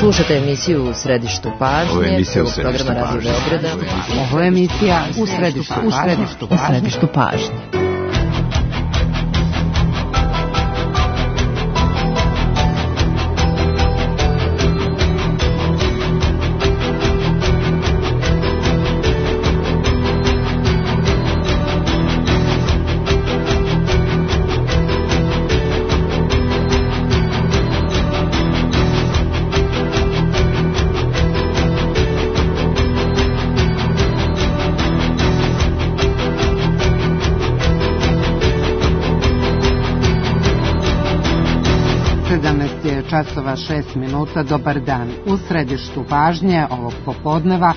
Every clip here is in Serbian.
Slušate emisiju U središtu pažnje. Ovo je emisija U središtu programa Radio Beograda. Ovo je emisija U središtu pažnje. Časova 6 minuta, dobar dan. U središtu pažnje ovog popodneva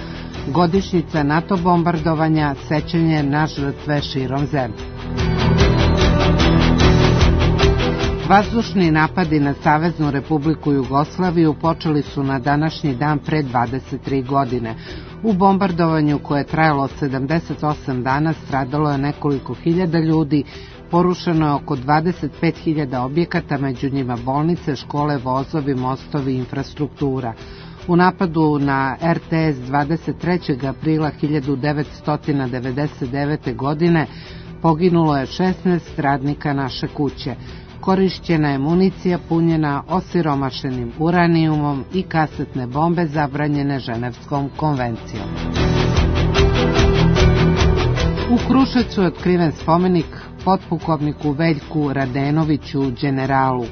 godišnjica NATO bombardovanja, sećanje na žrtve širom zemlje. Vazdušni napadi na Saveznu Republiku Jugoslaviju počeli su na današnji dan pre 23 godine. U bombardovanju koje je trajalo 78 dana stradalo je nekoliko hiljada ljudi, porušeno je oko 25.000 objekata, među njima bolnice, škole, vozovi, mostovi i infrastruktura. U napadu na RTS 23. aprila 1999. godine poginulo je 16 radnika naše kuće. Korišćena je municija punjena osiromašenim uranijumom i kasetne bombe zabranjene Ženevskom konvencijom. U Kruševcu je otkriven spomenik potpukovniku Veljku Radenoviću, đeneralu,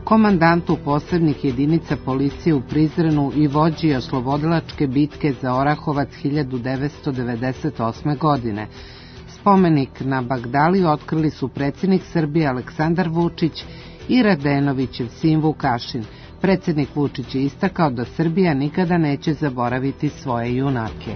komandantu posebnih jedinica policije u Prizrenu i vođi oslobodilačke bitke za Orahovac 1998. godine. Spomenik na Bagdaliju otkrili su predsjednik Srbije Aleksandar Vučić i Radenovićev sin Vukašin. Predsjednik Vučić je istakao da Srbija nikada neće zaboraviti svoje junake.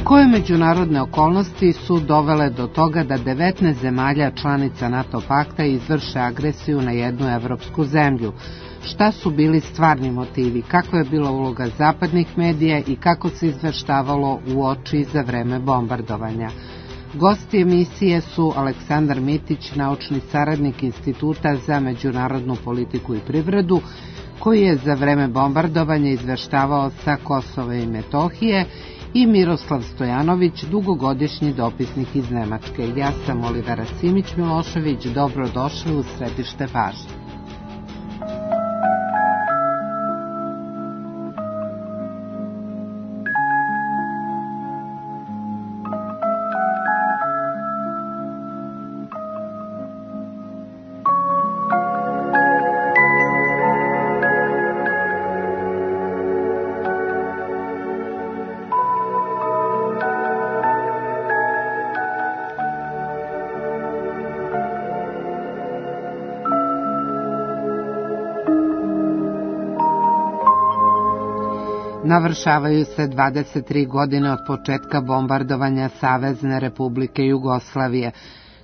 Koje međunarodne okolnosti su dovele do toga da 19 zemalja članica NATO pakta izvrše agresiju na jednu evropsku zemlju? Šta su bili stvarni motivi, kakva je bila uloga zapadnih medija i kako se izveštavalo uoči za vreme bombardovanja? Gosti emisije su Aleksandar Mitić, naučni saradnik Instituta za međunarodnu politiku i privredu, koji je za vreme bombardovanja izveštavao sa Kosova i Metohije, i Miroslav Stojanović, dugogodišnji dopisnik iz Nemačke. Ja sam Olivera Simić-Milošević, dobrodošli u središte pažnje. Navršavaju se 23 godine od početka bombardovanja Savezne Republike Jugoslavije.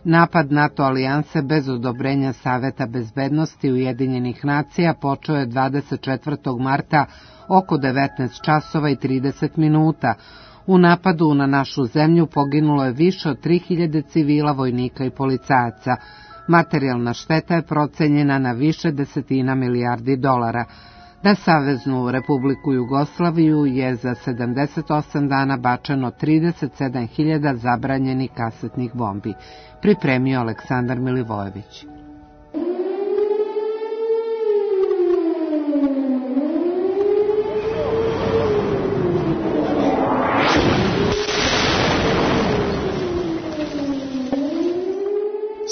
Napad NATO alijanse bez odobrenja Saveta bezbednosti Ujedinjenih nacija počeo je 24. marta oko 19 časova i 30 minuta. U napadu na našu zemlju poginulo je više od 3000 civila, vojnika i policajaca. Materijalna šteta je procenjena na više desetina milijardi dolara. Na Saveznu Republiku Jugoslaviju je za 78 dana bačeno 37.000 zabranjenih kasetnih bombi. Pripremio Aleksandar Milivojević.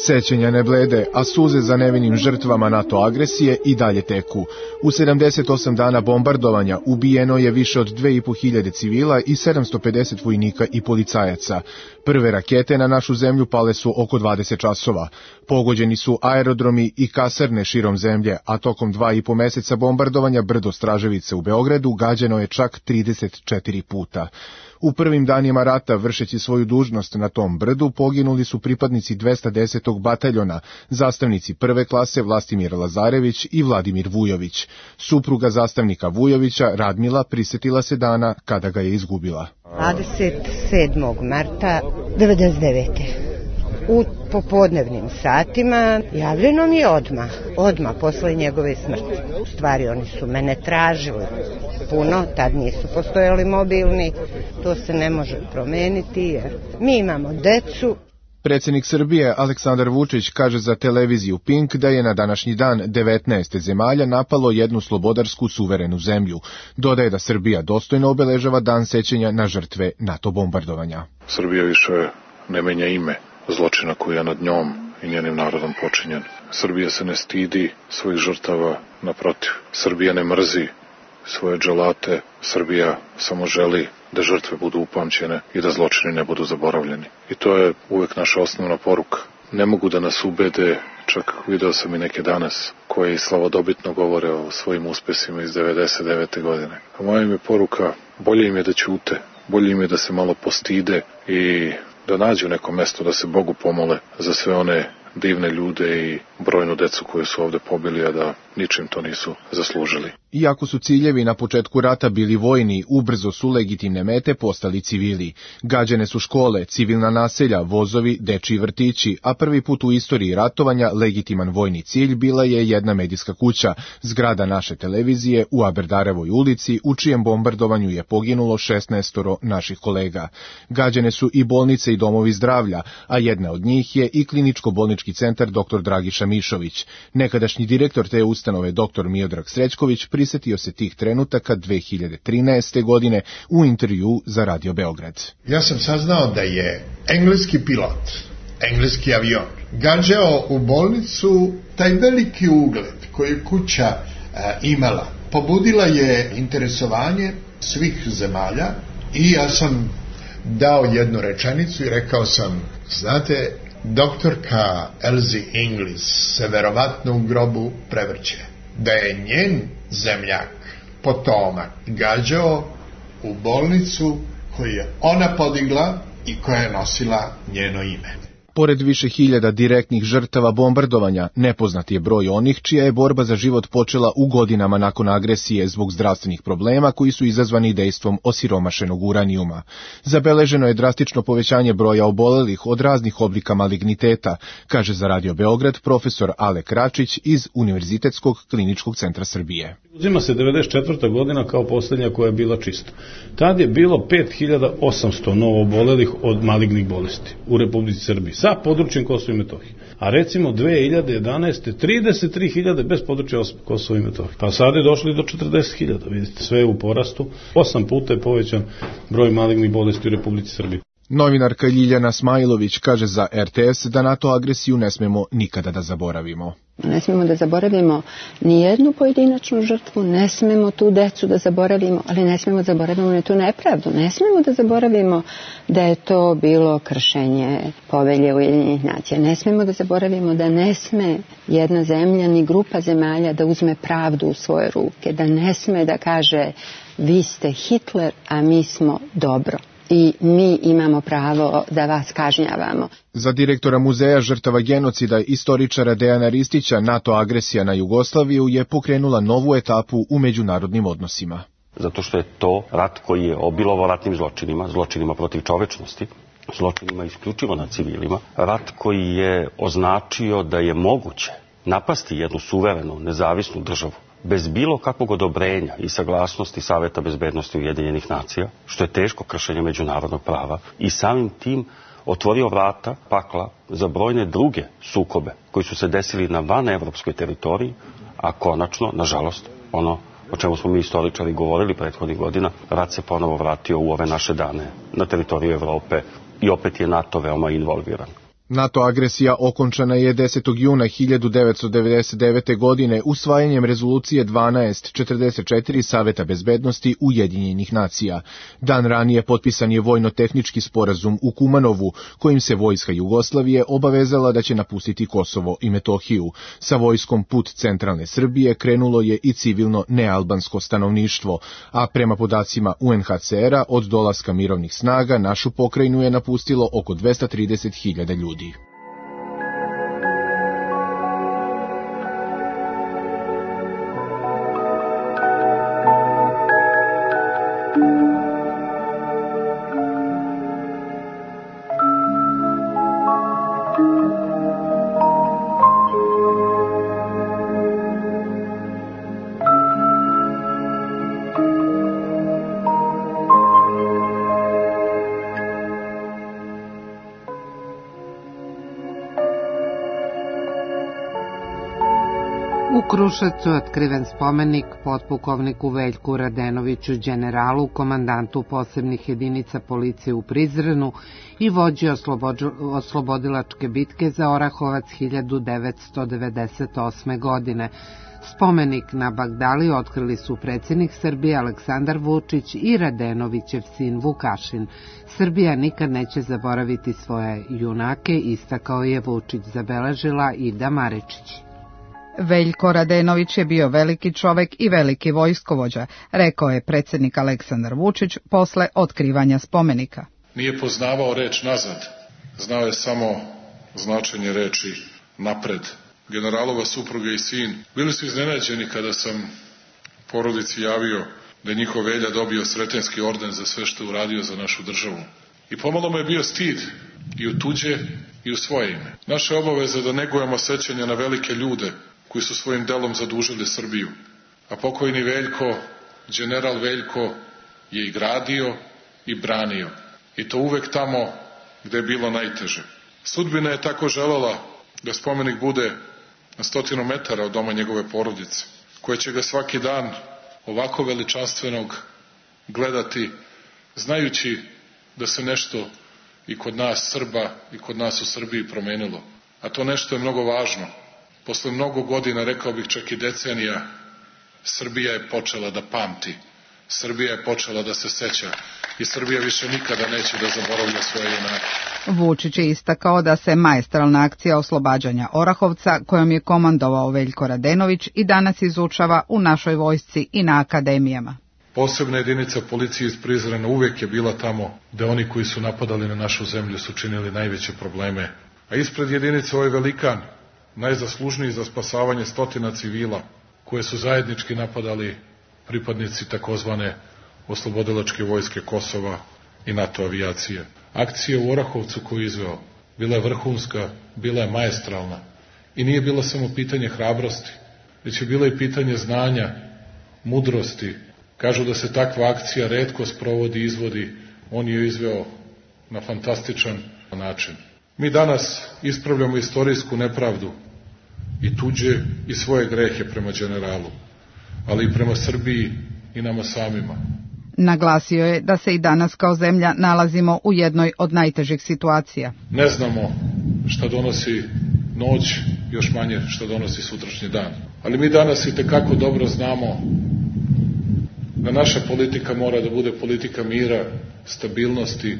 Sećanja ne blede, a suze za nevinim žrtvama NATO agresije i dalje teku. U 78 dana bombardovanja ubijeno je više od 2.500 civila i 750 vojnika i policajaca. Prve rakete na našu zemlju pale su oko 20 časova. Pogođeni su aerodromi i kasarne širom zemlje, a tokom 2,5 meseca bombardovanja brdo Straževice u Beogradu gađano je čak 34 puta. U prvim danima rata, vršeći svoju dužnost na tom brdu, poginuli su pripadnici 210. bataljona, zastavnici prve klase Vlastimir Lazarević i Vladimir Vujović. Supruga zastavnika Vujovića, Radmila, prisetila se dana kada ga je izgubila. 27. marta 1999. U popodnevnim satima javljeno mi je odmah posle njegove smrti. U stvari oni su mene tražili puno, tad nisu postojali mobilni, to se ne može promeniti jer mi imamo decu. Predsjednik Srbije Aleksandar Vučić kaže za televiziju Pink da je na današnji dan 19 zemalja napalo jednu slobodarsku suverenu zemlju. Dodaje da Srbija dostojno obeležava dan sećanja na žrtve NATO bombardovanja. Srbija više ne menja ime zločina koji je nad njom i njenim narodom počinjen. Srbija se ne stidi svojih žrtava, naprotiv. Srbija ne mrzi svoje dželate, Srbija samo želi da žrtve budu upamćene i da zločini ne budu zaboravljeni. I to je uvek naša osnovna poruka. Ne mogu da nas ubede, čak video sam i neke danas, koji slavodobitno govore o svojim uspesima iz 99. godine. A moja im je poruka, bolje im je da ćute, bolje im je da se malo postide i da nađu neko mesto da se Bogu pomole za sve one divne ljude i brojnu decu koju su ovde pobili, a da ničim to nisu zaslužili. Iako su ciljevi na početku rata bili vojni, ubrzo su legitimne mete postali civili. Gađane su škole, civilna naselja, vozovi, dečiji vrtići, a prvi put u istoriji ratovanja legitiman vojni cilj bila je jedna medijska kuća, zgrada naše televizije u Aberdarevoj ulici, u čijem bombardovanju je poginulo 16 naših kolega. Gađane su i bolnice i domovi zdravlja, a jedna od njih je i kliničko-bolnički centar dr. Dragiša Mišović. Nekadašnji direktor te ustanove dr. Miodrag Srećković prisetio se tih trenutaka 2013. godine u intervju za Radio Beograd. Ja sam saznao da je engleski pilot, engleski avion, gađao u bolnicu. Taj veliki ugled koji je kuća imala pobudila je interesovanje svih zemalja i ja sam dao jednu rečenicu i rekao sam, znate, doktorka Elsie Inglis se verovatno u grobu prevrće. Da je njen zemljak, potomak, gađao u bolnicu koju je ona podigla i koja je nosila njeno ime. Pored više hiljada direktnih žrtava bombardovanja, nepoznat je broj onih čija je borba za život počela u godinama nakon agresije zbog zdravstvenih problema koji su izazvani dejstvom osiromašenog uranijuma. Zabeleženo je drastično povećanje broja obolelih od raznih oblika maligniteta, kaže za Radio Beograd profesor Ale Kračić iz Univerzitetskog kliničkog centra Srbije. Uzima se 94. godina kao posljednja koja je bila čista. Tad je bilo 5800 novoobolelih od malignih bolesti u Republici Srbiji sa područjem Kosova i Metohije. A recimo 2011. 33.000 bez područja Kosova i Metohije. Pa sad je došli do 40.000. Vidite, sve je u porastu. 8 puta je povećan broj malignih bolesti u Republici Srbiji. Novinarka Ljiljana Smajlović kaže za RTS da NATO agresiju ne smemo nikada da zaboravimo. Ne smemo da zaboravimo ni jednu pojedinačnu žrtvu, ne smemo tu decu da zaboravimo, ali ne smemo da zaboravimo ni tu nepravdu. Ne smemo da zaboravimo da je to bilo kršenje povelje Ujedinjenih nacija. Ne smemo da zaboravimo da ne sme jedna zemlja ni grupa zemalja da uzme pravdu u svoje ruke, da ne sme da kaže vi ste Hitler, a mi smo dobro. I mi imamo pravo da vas kažnjavamo. Za direktora Muzeja žrtava genocida istoričara Dejana Ristića, NATO agresija na Jugoslaviju je pokrenula novu etapu u međunarodnim odnosima. Zato što je to rat koji je obilovao ratnim zločinima, zločinima protiv čovečnosti, zločinima isključivo nad civilima, rat koji je označio da je moguće napasti jednu suverenu, nezavisnu državu bez bilo kakvog odobrenja i saglasnosti Saveta bezbednosti Ujedinjenih nacija, što je teško kršenje međunarodnog prava, i samim tim otvorio vrata pakla za brojne druge sukobe koji su se desili na vanevropskoj teritoriji, a konačno, nažalost, ono o čemu smo mi istoričari govorili prethodnih godina, rat se ponovo vratio u ove naše dane na teritoriju Evrope i opet je NATO veoma involviran. NATO agresija okončana je 10. juna 1999. godine usvajanjem rezolucije 1244 Saveta bezbednosti Ujedinjenih nacija. Dan ranije potpisan je vojno-tehnički sporazum u Kumanovu, kojim se vojska Jugoslavije obavezala da će napustiti Kosovo i Metohiju. Sa vojskom put centralne Srbije krenulo je i civilno nealbansko stanovništvo, a prema podacima UNHCR-a od dolaska mirovnih snaga našu pokrajinu je napustilo oko 230.000 ljudi. U Kruševcu je otkriven spomenik potpukovniku Veljku Radenoviću, generalu, komandantu posebnih jedinica policije u Prizrenu i vođi oslobodilačke bitke za Orahovac 1998. godine. Spomenik na Bagdali otkrili su predsjednik Srbije Aleksandar Vučić i Radenovićev sin Vukašin. Srbija nikad neće zaboraviti svoje junake, istakao je Vučić, zabeležila Ida Maričić. Veljko Radenović je bio veliki čovek i veliki vojskovođa, rekao je predsjednik Aleksandar Vučić posle otkrivanja spomenika. Nije poznavao reč nazad, znao je samo značenje reči napred. Generalova supruga i sin bili su iznenađeni kada sam porodici javio da je njihov Velja dobio Sretenski orden za sve što je uradio za našu državu. I pomalo mu je bio stid i u tuđe i u svoje ime. Naša obaveza je da negujemo sećanja na velike ljude koji su svojim delom zadužili Srbiju. A pokojni Veljko, general Veljko, je i gradio i branio. I to uvek tamo gde je bilo najteže. Sudbina je tako želela da spomenik bude na 100 metara od doma njegove porodice, koje će ga svaki dan ovako veličanstvenog gledati, znajući da se nešto i kod nas Srba i kod nas u Srbiji promenilo. A to nešto je mnogo važno. Posle mnogo godina, rekao bih čak i decenija, Srbija je počela da pamti. Srbija je počela da se seća i Srbija više nikada neće da zaboravlja svoje junake. Vučić je istakao da se maestralna akcija oslobađanja Orahovca, kojom je komandovao Veljko Radenović, i danas izučava u našoj vojsci i na akademijama. Posebna jedinica policije iz Prizrena uvek je bila tamo gde oni koji su napadali na našu zemlju su činili najveće probleme. A ispred jedinice ovaj velikan, najzaslužniji za spasavanje stotina civila, koje su zajednički napadali pripadnici takozvane oslobodilačke vojske Kosova i NATO avijacije. Akcija u Orahovcu koju je izveo bila je vrhunska, bila je maestralna i nije bilo samo pitanje hrabrosti, već je bilo i pitanje znanja, mudrosti. Kažu da se takva akcija retko sprovodi i izvodi, on je izveo na fantastičan način. Mi danas ispravljamo istorijsku nepravdu i tuđe i svoje grehe prema generalu, ali i prema Srbiji i nama samima. Naglasio je da se i danas kao zemlja nalazimo u jednoj od najtežih situacija. Ne znamo šta donosi noć, još manje šta donosi sutrašnji dan. Ali mi danas i tekako dobro znamo da naša politika mora da bude politika mira, stabilnosti,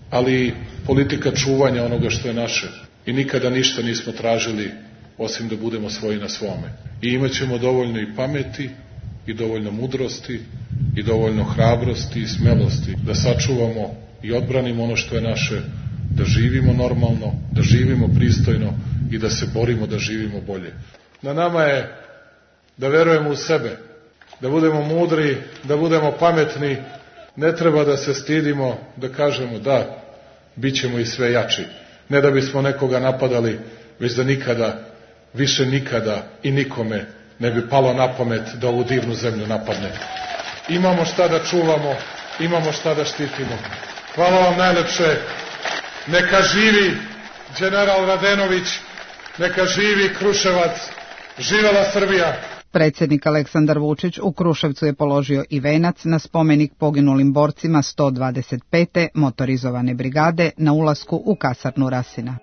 ali i politika čuvanja onoga što je naše. I nikada ništa nismo tražili osim da budemo svoji na svome. I imaćemo dovoljno i pameti, i dovoljno mudrosti, i dovoljno hrabrosti i smelosti da sačuvamo i odbranimo ono što je naše, da živimo normalno, da živimo pristojno i da se borimo da živimo bolje. Na nama je da verujemo u sebe, da budemo mudri, da budemo pametni, ne treba da se stidimo, da kažemo da, bit ćemo i sve jači. Ne da bismo nekoga napadali, već da nikada, više nikada i nikome ne bi palo na pamet da ovu divnu zemlju napadne. Imamo šta da čuvamo, imamo šta da štitimo. Hvala vam najlepše. Neka živi general Radenović, neka živi Kruševac, živela Srbija. Predsjednik Aleksandar Vučić u Kruševcu je položio i venac na spomenik poginulim borcima 125. motorizovane brigade na ulasku u kasarnu Rasina.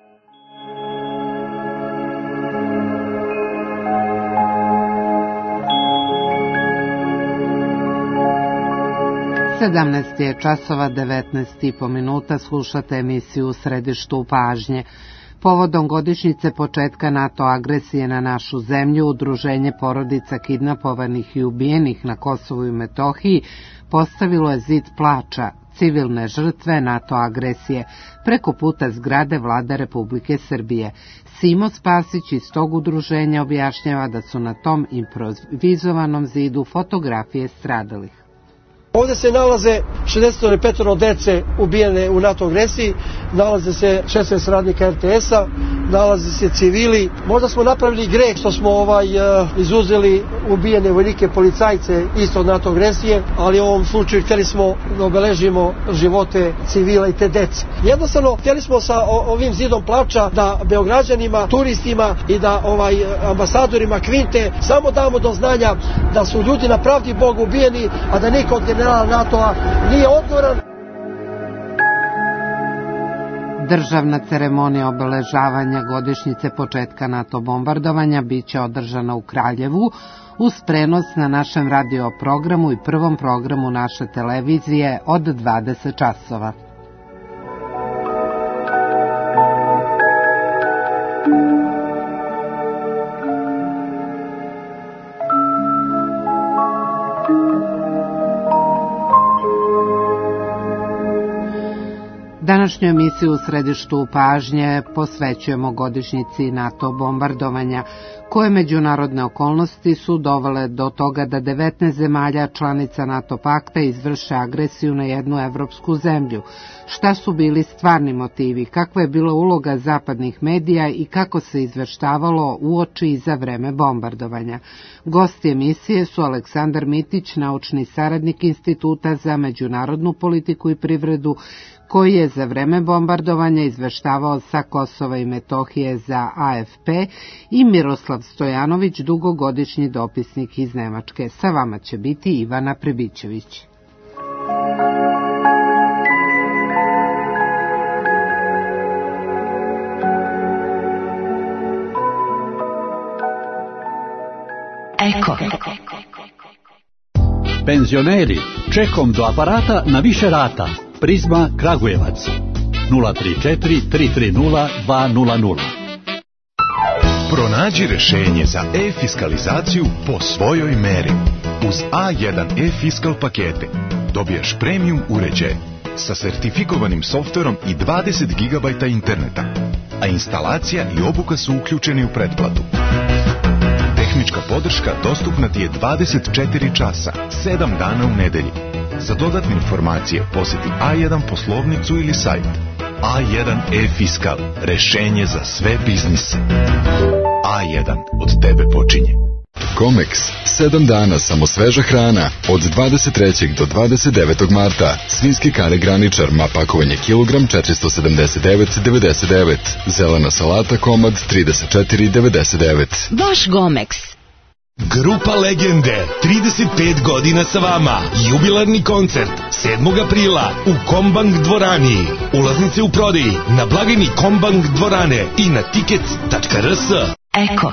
Je časova 19,5 minuta, slušate emisiju U središtu pažnje. Povodom godišnjice početka NATO agresije na našu zemlju, Udruženje porodica kidnapovanih i ubijenih na Kosovu i Metohiji postavilo je zid plača, civilne žrtve NATO agresije, preko puta zgrade Vlade Republike Srbije. Simo Spasić iz tog udruženja objašnjava da su na tom improvizovanom zidu fotografije stradalih. Ovdje se nalaze 65 dece ubijene u NATO agresiji, nalaze se 16 radnika RTS-a nalaze se civili. Možda smo napravili greh što smo izuzeli ubijene vojnike, policajce isto od NATO agresije, ali u ovom slučaju htjeli smo da obeležimo živote civila i te dece. Jednostavno htjeli smo sa ovim zidom plača da Beograđanima, turistima i da ambasadorima Kvinte samo damo do znanja da su ljudi na pravdi Boga ubijeni, a da niko od generala NATO-a nije odgovoran. Državna ceremonija obeležavanja godišnjice početka NATO bombardovanja biće održana u Kraljevu uz prenos na našem radio programu i prvom programu naše televizije od 20 časova. Današnju emisiju u središtu pažnje posvećujemo godišnjici NATO bombardovanja, koje međunarodne okolnosti su dovele do toga da 19 zemalja članica NATO pakta izvrše agresiju na jednu evropsku zemlju. Šta su bili stvarni motivi, kakva je bila uloga zapadnih medija i kako se izveštavalo uoči i za vreme bombardovanja. Gosti emisije su Aleksandar Mitić, naučni saradnik Instituta za međunarodnu politiku i privredu, koji je za vreme bombardovanja izveštavao sa Kosova i Metohije za AFP, i Miroslav Stojanović, dugogodišnji dopisnik iz Nemačke. Sa vama će biti Ivana Prebićević. Eko. Penzioneri, čekom do aparata na više rata. Prizma Kragujevac 034 330 200. Pronađi rešenje za e-fiskalizaciju po svojoj meri. Uz A1 e-fiskal pakete dobijaš premium uređaj sa sertifikovanim softverom i 20 GB interneta, a instalacija i obuka su uključeni u pretplatu. Tehnička podrška dostupna ti je 24 časa, 7 dana u nedelji. Za dodatne informacije posjeti A1 poslovnicu ili sajt. A1 e-fiskal, rešenje za sve biznise. A1, od tebe počinje. Comex, 7 dana samo sveža hrana, od 23. do 29. marta. Svinjski kare graničar, ma pakovanje kilogram 479,99. Zelena salata komad 34,99. Vaš Gomex. Grupa Legende, 35 godina sa vama. Jubilarni koncert 7. aprila u Kombank dvorani. Ulaznice u prodaji na blagajni Kombank dvorane i na tickets.rs. Eko.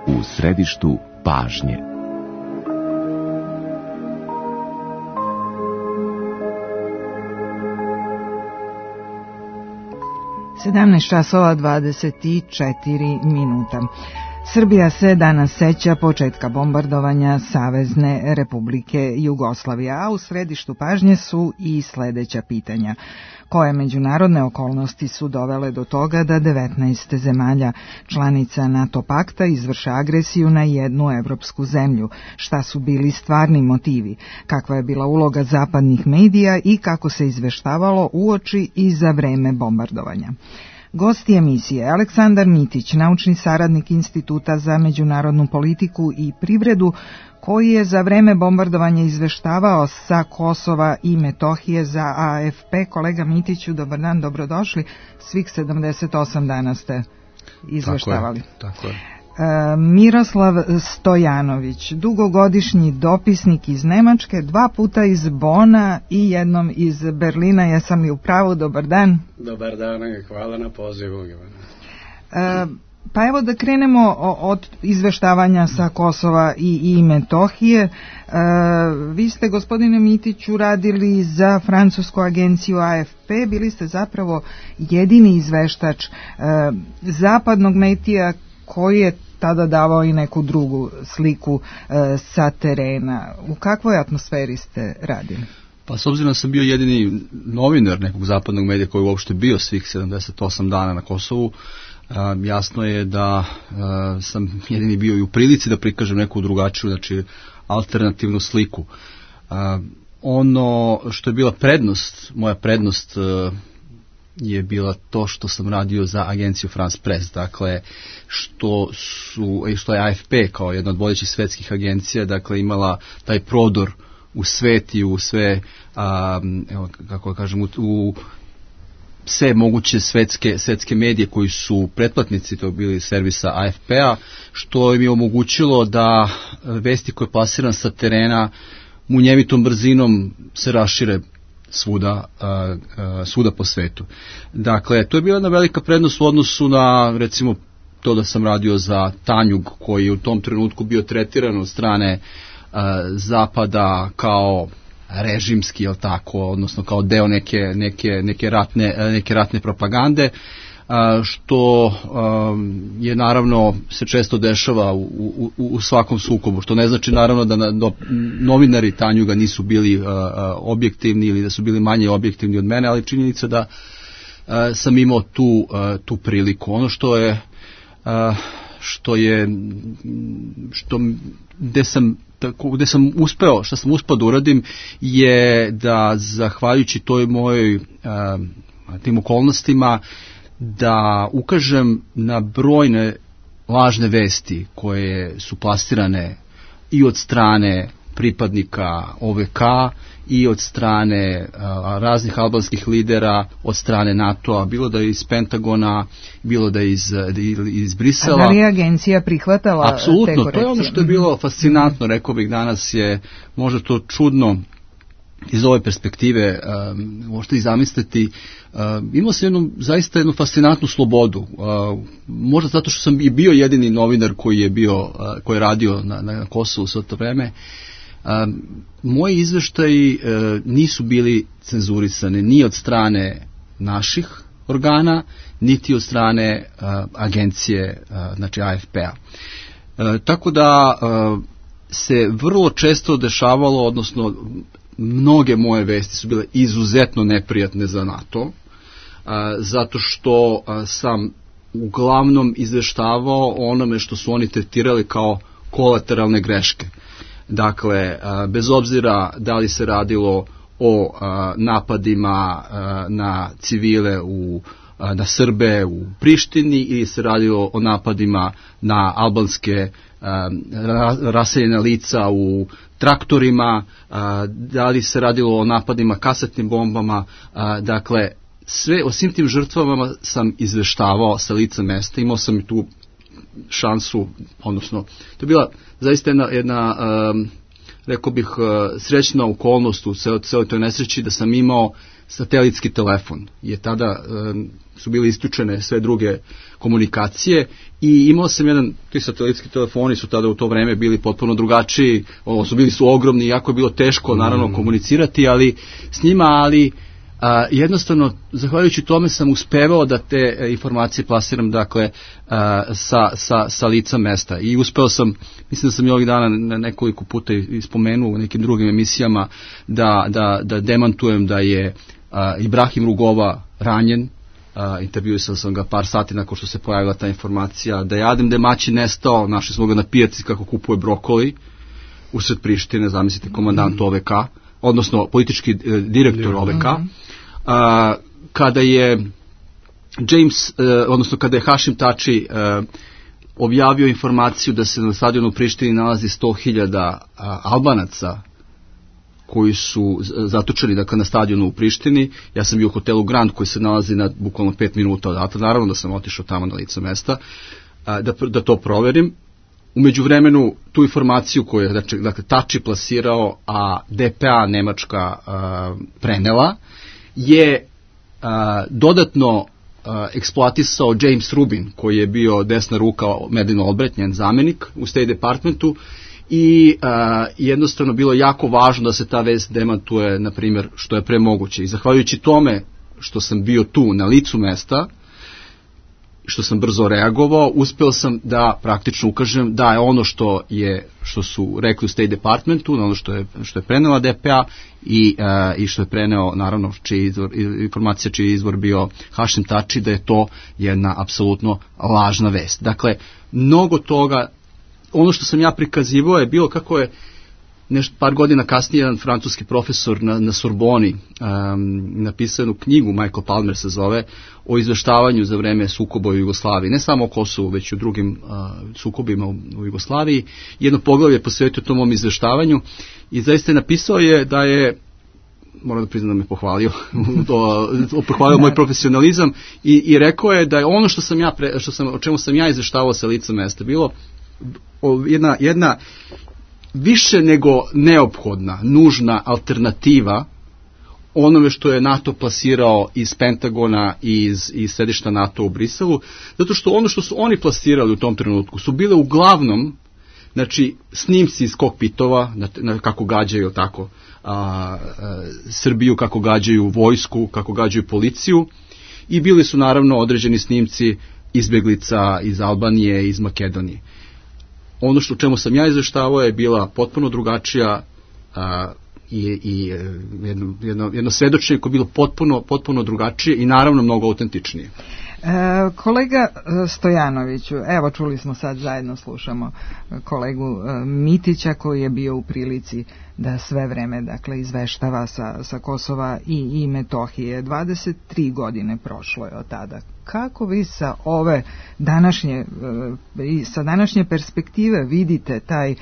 U središtu pažnje. časova 24 minuta. Srbija se danas seća početka bombardovanja Savezne Republike Jugoslavije, a u središtu pažnje su i sledeća pitanja. Koje međunarodne okolnosti su dovele do toga da 19 zemalja članica NATO pakta izvrše agresiju na jednu evropsku zemlju? Šta su bili stvarni motivi? Kakva je bila uloga zapadnih medija i kako se izveštavalo uoči i za vreme bombardovanja? Gosti emisije: Aleksandar Mitić, naučni saradnik Instituta za međunarodnu politiku i privredu, koji je za vreme bombardovanja izveštavao sa Kosova i Metohije za AFP. Kolega Mitiću, dobar dan, dobrodošli. Svih 78 dana ste izveštavali. Tako je. Miroslav Stojanović, dugogodišnji dopisnik iz Nemačke, 2 puta iz Bona i jednom iz Berlina. Jesam li u pravu? Dobar dan. Dobar dan, hvala na pozivu. Pa evo da krenemo od izveštavanja sa Kosova i Metohije. Vi ste, gospodine Mitiću, radili za francusku agenciju AFP, bili ste zapravo jedini izveštač zapadnog medija koji je tada davao i neku drugu sliku sa terena. U kakvoj atmosferi ste radili? Pa s obzirom da sam bio jedini novinar nekog zapadnog medija koji je uopšte bio svih 78 dana na Kosovu, jasno je da sam jedini bio i u prilici da prikažem neku drugačiju, znači alternativnu sliku. Ono što je bila prednost, moja prednost je bila to što sam radio za agenciju France Press, dakle što je AFP kao jedna od vodećih svetskih agencija, dakle imala taj prodor u svet i u sve, kako kažem, u sve moguće svetske medije koji su pretplatnici, to bili servisa AFP-a, što im je omogućilo da vesti koje plasiram sa terena munjevitom brzinom se rašire svuda po svetu. Dakle, to je bila jedna velika prednost u odnosu na, recimo, to da sam radio za Tanjug, koji je u tom trenutku bio tretiran od strane Zapada kao režimski, jel tako, odnosno kao deo neke ratne propagande, što je naravno se često dešava u svakom sukobu, što ne znači naravno da novinari Tanjuga nisu bili objektivni ili da su bili manje objektivni od mene, ali činjenica da sam imao tu priliku. Ono gde sam uspeo da uradim je da zahvaljujući toj mojoj tim okolnostima da ukažem na brojne lažne vesti koje su plasirane i od strane pripadnika OVK i od strane raznih albanskih lidera, od strane NATO-a, bilo da je iz Pentagona, bilo da je iz Brisela. A da li je agencija prihvatala apsolutno, te korekcije? To je ono što je bilo fascinantno, rekao bih danas je možda to čudno iz ove perspektive, možete i zamisliti, imao sam zaista jednu fascinantnu slobodu, možda zato što sam i bio jedini novinar koji je radio na Kosovu sve to vreme. Moji izveštaji nisu bili cenzurisani ni od strane naših organa, niti od strane agencije, znači AFP-a. Tako da se vrlo često dešavalo, odnosno mnoge moje vesti su bile izuzetno neprijatne za NATO, zato što sam uglavnom izveštavao onome što su oni tretirali kao kolateralne greške. Dakle, bez obzira da li se radilo o napadima na civile na Srbe u Prištini ili se radilo o napadima na albanske raseljena lica u traktorima, da li se radilo o napadima kasetnim bombama, dakle, o svim tim žrtvama sam izveštavao sa lica mesta, imao sam i tu šansu, odnosno, to je bila zaista jedna rekao bih, srećna okolnost u celoj toj nesreći da sam imao satelitski telefon, jer tada su bile isključene sve druge komunikacije i imao sam ti satelitski telefoni su tada u to vreme bili potpuno drugačiji, bili su ogromni, jako je bilo teško naravno komunicirati s njima, ali jednostavno, zahvaljujući tome sam uspevao da te informacije plasiram, dakle, sa lica mesta i uspeo sam, mislim da sam i ovih dana nekoliko puta ispomenuo u nekim drugim emisijama da demantujem da je Ibrahim Rugova ranjen, intervjuisao sam ga par sati nakon što se pojavila ta informacija, da je Adem Demaći nestao, našli smo ga na pijaci kako kupuje brokoli usred Prištine, zamislite, komandant OVK, odnosno politički direktor OVK, kada je kada je Hašim Tači objavio informaciju da se na stadionu u Prištini nalazi 100.000 Albanaca koji su zatočeni, dakle, na stadionu u Prištini. Ja sam bio u hotelu Grand koji se nalazi na bukvalno 5 minuta odatle, naravno da sam otišao tamo na lice mesta da to proverim. U međuvremenu tu informaciju koju je dakle, Tači plasirao, a DPA Nemačka prenela, je dodatno eksploatisao James Rubin, koji je bio desna ruka Madeleine Albright, njen zamenik u State Departmentu, i jednostavno bilo jako važno da se ta vest demantuje, na primjer, što je pre moguće. I zahvaljujući tome što sam bio tu na licu mesta, što sam brzo reagovao, uspeo sam da praktično ukažem da je ono što su rekli u State Departmentu, ono što je prenela DPA i što je preneo, naravno, informacija čiji je izvor bio Hašim Tači, da je to jedna apsolutno lažna vest. Dakle, mnogo toga, ono što sam ja prikazivao je bilo kako je par godina kasnije jedan francuski profesor na Sorboni napisao jednu knjigu, Michael Palmer se zove, o izveštavanju za vreme sukoba u Jugoslaviji, ne samo o Kosovu, već i u drugim sukobima u Jugoslaviji. Jedno poglavlje posvetio tom mom izveštavanju i zaista je napisao da je, moram da priznam da me pohvalio, pohvalio moj profesionalizam i rekao je da je ono o čemu sam ja izveštavao sa lica mesta bilo jedna više nego neophodna, nužna alternativa onome što je NATO plasirao iz Pentagona i iz sedišta NATO u Briselu, zato što ono što su oni plasirali u tom trenutku su bile uglavnom, znači, snimci iz kokpitova, kako gađaju tako Srbiju, kako gađaju vojsku, kako gađaju policiju, i bili su naravno određeni snimci izbeglica iz Albanije, iz Makedonije. Ono što čemu sam ja izveštavao je bila potpuno drugačija i jedno svedočenje koje je bilo potpuno drugačije i naravno mnogo autentičnije. Kolega Stojanoviću, evo čuli smo sad, zajedno slušamo kolegu Mitića koji je bio u prilici da sve vreme, dakle, izveštava sa Kosova i Metohije. 23 godine prošlo je od tada. Kako vi sa ove današnje perspektive vidite taj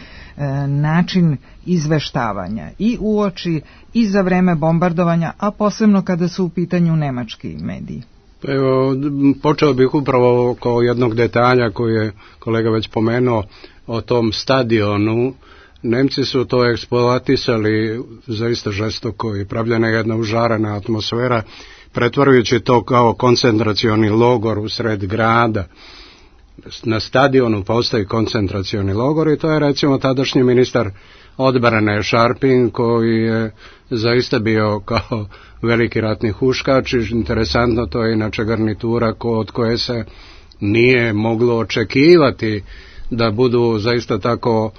način izveštavanja i uoči i za vreme bombardovanja, a posebno kada su u pitanju nemački mediji? Evo, počeo bih upravo oko jednog detalja koji je kolega već pomenuo o tom stadionu. Nemci su to eksploatisali zaista žestoko i pravljena je jedna užarena atmosfera, pretvarujući to kao koncentracioni logor u sred grada. Na stadionu postoji koncentracioni logor i to je, recimo, tadašnji ministar odbrane Šarpin, koji je zaista bio kao veliki ratni huškač. Interesantno, to je inače garnitura od koje se nije moglo očekivati da budu zaista tako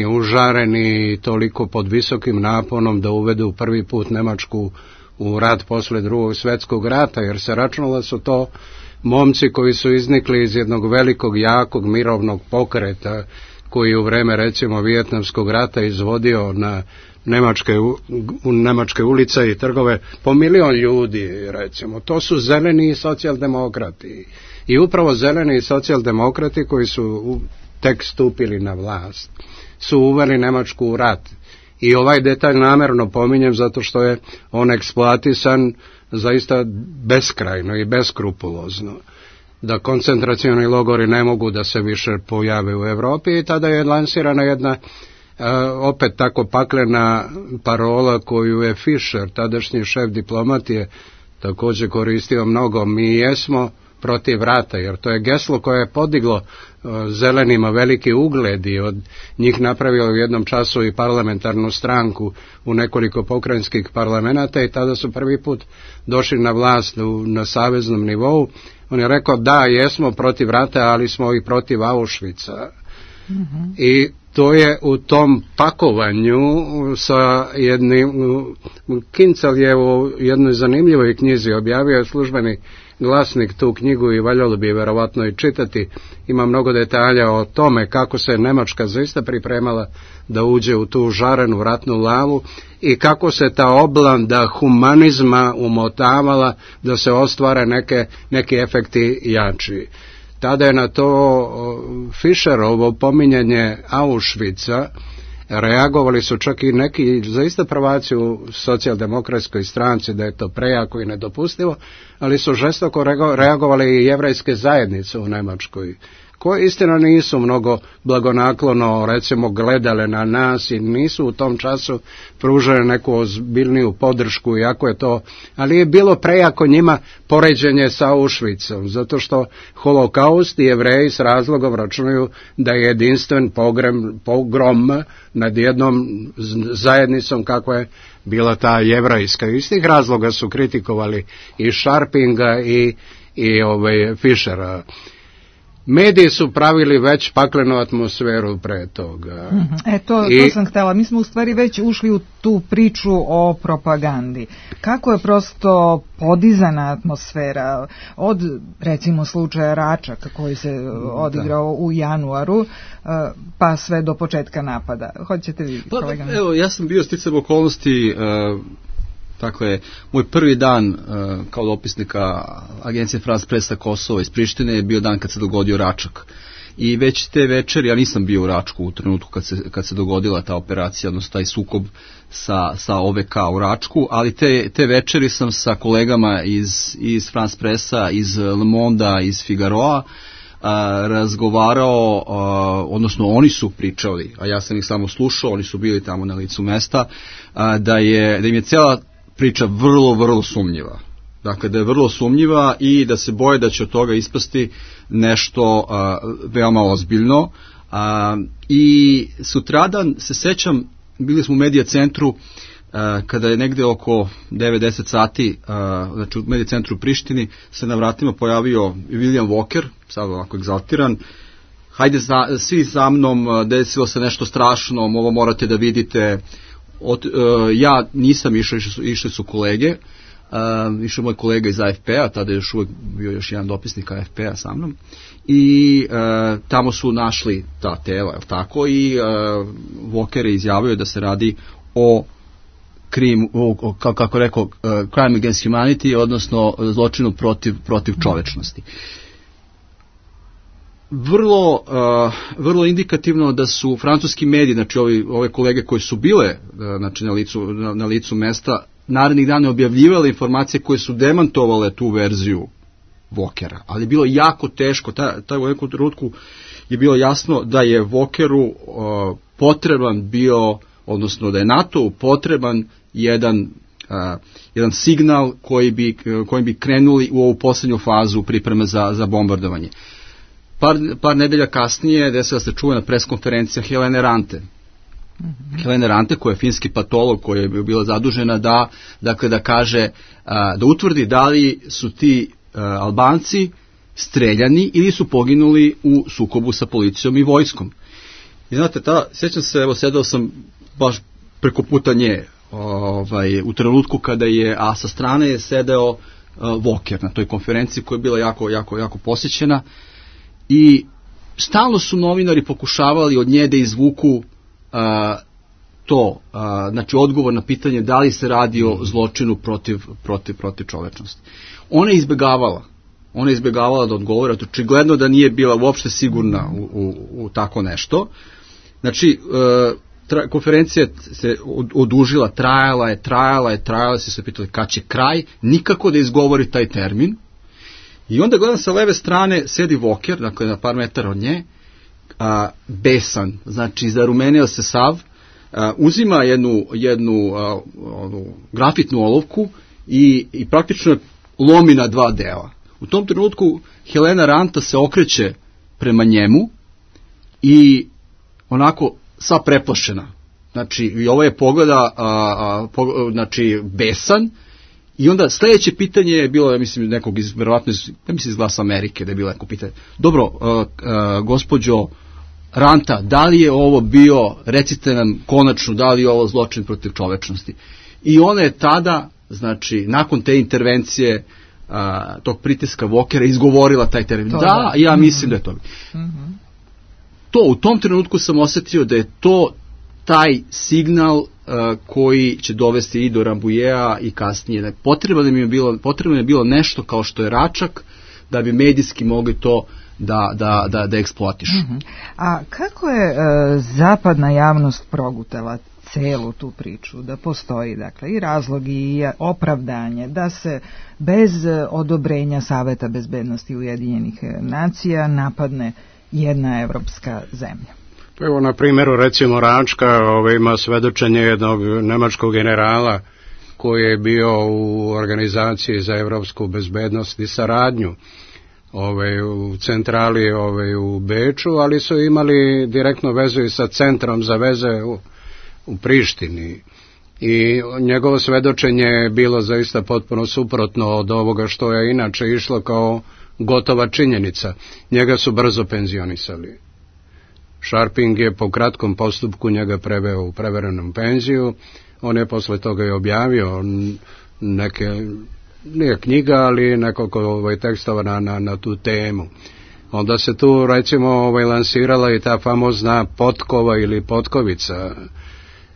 užareni toliko pod visokim naponom da uvedu prvi put Nemačku u rat posle Drugog svjetskog rata, jer se računalo da su to momci koji su iznikli iz jednog velikog, jakog, mirovnog pokreta koji u vreme, recimo, Vijetnamskog rata izvodio na nemačke ulice i trgove po 1 milion ljudi, recimo. To su zeleni socijaldemokrati. I upravo zeleni socijaldemokrati koji su tek stupili na vlast su uveli Nemačku u rat. I ovaj detalj namjerno pominjem zato što je on eksploatisan zaista beskrajno i beskrupulozno. Da koncentracioni logori ne mogu da se više pojave u Europi i tada je lansirana jedna opet tako paklena parola koju je Fischer, tadašnji šef diplomatije, također koristio mnogo. Mi jesmo protiv rata, jer to je geslo koje je podiglo zelenima veliki ugled i od njih napravilo u jednom času i parlamentarnu stranku u nekoliko pokrajinskih parlamenata i tada su prvi put došli na vlast na saveznom nivou. On je rekao da, jesmo protiv rata, ali smo i protiv Auschwitza. Mm-hmm. I to je u tom pakovanju sa jednim, Kincel je u jednoj zanimljivoj knjizi objavio službeni glasnik tu knjigu i valjalo bi verovatno i čitati. Ima mnogo detalja o tome kako se Nemačka zaista pripremala da uđe u tu žarenu ratnu lavu i kako se ta oblanda humanizma umotavala da se ostvare neki efekti jači. Tada je na to Fischerovo pominjanje Auschwitza reagovali su čak i neki zaista prvaci u socijaldemokratskoj stranci da je to prejako i nedopustivo, ali su žestoko reagovali i jevrejske zajednice u Nemačkoj koje istina nisu mnogo blagonaklono recimo gledale na nas i nisu u tom času pružale neku ozbiljniju podršku, iako je to, ali je bilo prejako njima poređenje sa Auschwitzom, zato što holokaust i Jevreji s razlogom računaju da je jedinstven pogrom nad jednom zajednicom kakva je bila ta jevrajska. Iz tih razloga su kritikovali i Sharpinga i Fischera. Mediji su pravili već paklenu atmosferu pre toga. To sam htjela. Mi smo u stvari već ušli u tu priču o propagandi. Kako je prosto podizana atmosfera od, recimo, slučaja Račak koji se odigrao u januaru, pa sve do početka napada. Hoćete vi, kolega? Evo, ja sam bio sticajem okolnosti, dakle, moj prvi dan kao dopisnika agencije France Press Kosovo iz Prištine je bio dan kad se dogodio Račak. I već te večeri, ja nisam bio u Račku u trenutku kad se dogodila ta operacija, odnosno taj sukob sa OVK u Račku, ali te večeri sam sa kolegama iz France Pressa, iz Le Mondea, iz Figaroa razgovarao, odnosno oni su pričali, a ja sam ih samo slušao, oni su bili tamo na licu mesta, da im je cijela priča vrlo, vrlo sumnjiva. Dakle, da je vrlo sumnjiva i da se boje da će od toga ispasti nešto veoma ozbiljno. I sutradan se sećam, bili smo u Medija centru kada je negde oko 9-10 sati, znači u Medija centru u Prištini, se na vratima pojavio William Walker, sad ovako egzaltiran, hajde svi za mnom, desilo se nešto strašno, ovo morate da vidite. Ja nisam išao, išli su kolege, išao moj kolega iz AFP-a, tada je još uvijek bio još jedan dopisnik AFP-a sa mnom, i tamo su našli ta tela, je li tako, i Walker je izjavio da se radi o kako rekao, crime against humanity, odnosno zločinu protiv čovečnosti. Vrlo indikativno da su francuski mediji, znači ove kolege koji su bile znači, na licu mesta, narednih dana objavljivale informacije koje su demantovale tu verziju Walkera, ali je bilo jako teško, u nekom trenutku je bilo jasno da je Walkeru potreban bio, odnosno da je NATO potreban jedan signal kojim bi krenuli u ovu posljednju fazu pripreme za bombardovanje. Par nedelja kasnije desila se čuvena preskonferencija Helene Rante. Helene Rante, koja je finski patolog, koja je bila zadužena da kaže, da utvrdi da li su ti Albanci streljani ili su poginuli u sukobu sa policijom i vojskom. I znate, sjećam se, evo, sedao sam baš preko puta nje, u trenutku kada a sa strane je sedeo Walker na toj konferenciji koja je bila jako posjećena, i stalno su novinari pokušavali od nje da izvuku znači odgovor na pitanje da li se radi o zločinu protiv čovečnosti. Ona je izbjegavala da odgovore, očigledno da nije bila uopšte sigurna u tako nešto. Znači, konferencija se odužila, trajala, se pitali kad će kraj, nikako da izgovori taj termin. I onda gledam sa leve strane sedi Walker, dakle na par metara od nje, besan, znači zarumenio se sav, uzima jednu grafitnu olovku i praktično lomi na dva dela. U tom trenutku Helena Ranta se okreće prema njemu i onako sva preplašena. Znači, i ovo je pogleda, znači, besan. I onda sljedeće pitanje je bilo, ja mislim, nekog verovatno iz Glasa Amerike, da je bilo neko pitanje. Dobro, gospođo Ranta, da li je ovo bio, recite nam konačno, da li je ovo zločin protiv čovečnosti? I ona je tada, znači, nakon te intervencije, tog pritiska Walkera, izgovorila taj termin. Da, ja mislim da je to. U tom trenutku sam osjetio da je to taj signal koji će dovesti i do Rambujea i kasnije. Potrebno je bilo nešto kao što je Račak, da bi medijski mogli to da eksploatišu. A kako je zapadna javnost progutala celu tu priču, da postoji dakle i razlog i opravdanje da se bez odobrenja Saveta bezbednosti Ujedinjenih nacija napadne jedna evropska zemlja? Evo na primjeru recimo Račka ima svedočenje jednog nemačkog generala koji je bio u organizaciji za evropsku bezbednost i saradnju u centrali u Beču, ali su imali direktno vezu i sa centrom za veze u Prištini. I njegovo svedočenje je bilo zaista potpuno suprotno od ovoga što je inače išlo kao gotova činjenica. Njega su brzo penzionisali. Sharping je po kratkom postupku njega preveo u prevremenu penziju. On je posle toga i objavio nije knjiga, ali nekoliko tekstova na tu temu. Onda se tu recimo lansirala i ta famozna potkova ili potkovica,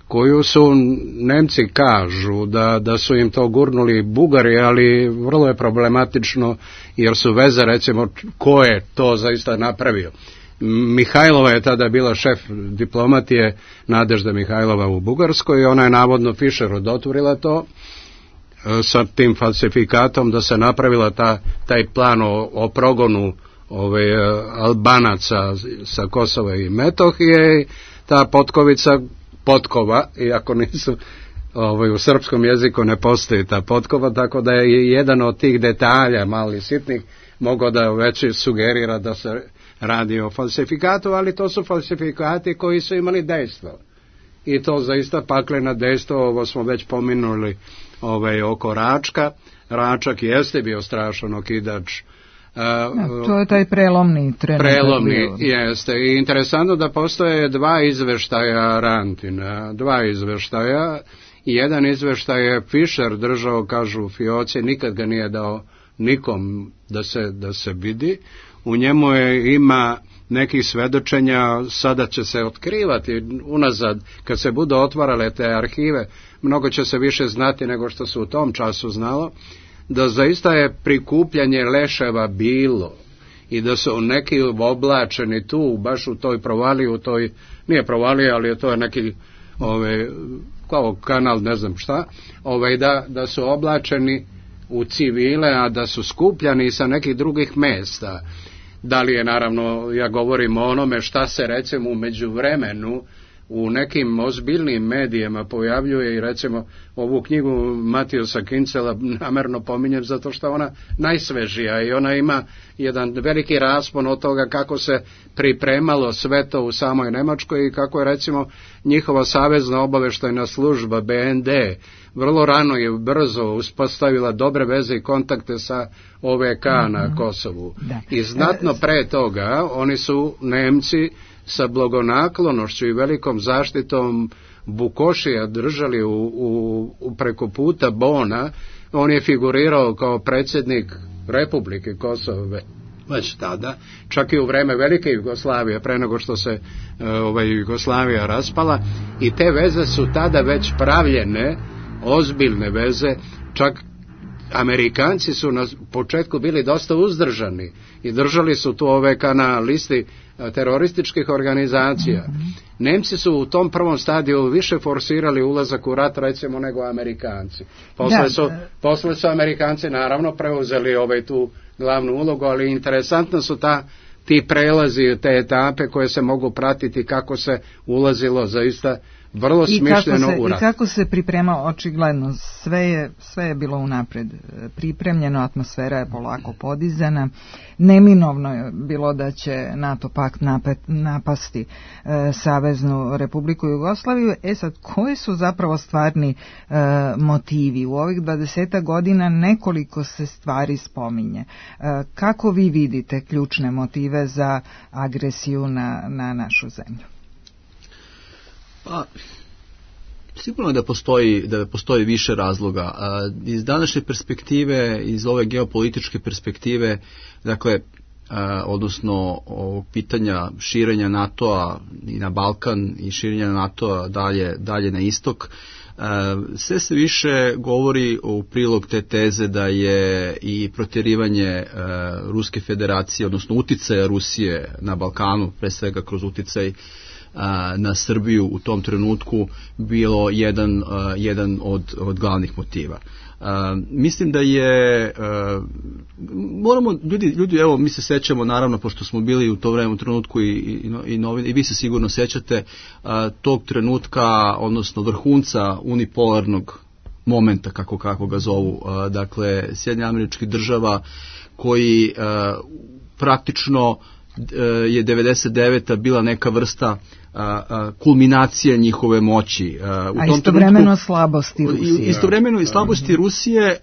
koju su Nemci kažu da su im to gurnuli Bugari, ali vrlo je problematično jer su veze recimo ko je to zaista napravio. Mihajlova je tada bila šef diplomatije, Nadežda Mihajlova u Bugarskoj, i ona je navodno Fischeru dotvorila to sa tim falsifikatom da se napravila taj plan o progonu Albanaca sa Kosova i Metohije. Ta potkova, iako nisu u srpskom jeziku ne postoji ta potkova, tako da je jedan od tih detalja mali sitnih mogao da već sugerira da se radi o falsifikatu, ali to su falsifikati koji su imali dejstvo. I to zaista pakleno dejstvo, ovo smo već pominuli oko Račka. Račak jeste bio strašan okidač. To je taj prelomni trenutak. Prelomni, jeste. I interesantno da postoje dva izveštaja Rantina. Dva izveštaja. Jedan izveštaj je Fischer držao, kažu Fioci, nikad ga nije dao nikom da se vidi. U njemu ima nekih svedočenja, sada će se otkrivati unazad, kad se budu otvarale te arhive, mnogo će se više znati nego što se u tom času znalo, da zaista je prikupljanje leševa bilo i da su neki oblačeni tu, baš u toj provaliji, nije provalija, ali to je neki kao kanal, ne znam šta, da su oblačeni u civile, a da su skupljani sa nekih drugih mjesta. Da li je, naravno, ja govorim o onome šta se recimo u međuvremenu u nekim ozbiljnim medijima pojavljuje, i recimo ovu knjigu Matiusa Kincela namerno pominjem zato što ona najsvežija i ona ima jedan veliki raspon od toga kako se pripremalo sve to u samoj Nemačkoj i kako je recimo njihova savezna obaveštajna služba BND vrlo rano i brzo uspostavila dobre veze i kontakte sa OVK na Kosovu. I znatno pre toga oni su Nemci sa blagonaklonošću i velikom zaštitom Bukošija držali u preko puta Bona. On je figurirao kao predsjednik Republike Kosovo već tada, čak i u vreme Velike Jugoslavije, pre nego što se Jugoslavija raspala, i te veze su tada već pravljene, ozbiljne veze. Čak Amerikanci su na početku bili dosta uzdržani i držali su tu OVK na listi terorističkih organizacija. Nemci su u tom prvom stadiju više forsirali ulazak u rat recimo nego Amerikanci. Posle su Amerikanci naravno preuzeli tu glavnu ulogu, ali interesantno su ti prelazi, te etape koje se mogu pratiti kako se ulazilo zaista vrlo smišljeno u rat. I kako se pripremao, očigledno, sve je bilo unapred pripremljeno, atmosfera je polako podizana, neminovno je bilo da će NATO pakt napasti Saveznu Republiku Jugoslaviju. Sad, koji su zapravo stvarni motivi? U ovih 20 godina nekoliko se stvari spominje. Kako vi vidite ključne motive za agresiju na našu zemlju? Pa, sigurno je da postoji više razloga. Iz današnje perspektive, iz ove geopolitičke perspektive, dakle, odnosno ovog pitanja širenja NATO-a i na Balkan i širenja NATO-a dalje na istok, sve se više govori u prilog te teze da je i protjerivanje Ruske federacije, odnosno uticaja Rusije na Balkanu, pre svega kroz uticaj na Srbiju u tom trenutku bilo jedan od glavnih motiva. Mislim da je moramo ljudi evo mi se sećamo naravno pošto smo bili u to vreme u trenutku i vi se sigurno sećate tog trenutka odnosno vrhunca unipolarnog momenta kako ga zovu, dakle Sjedinjenih Američkih Država koji praktično je 99. bila neka vrsta kulminacija njihove moći. A istovremeno slabosti Rusije. Istovremeno i slabosti Rusije,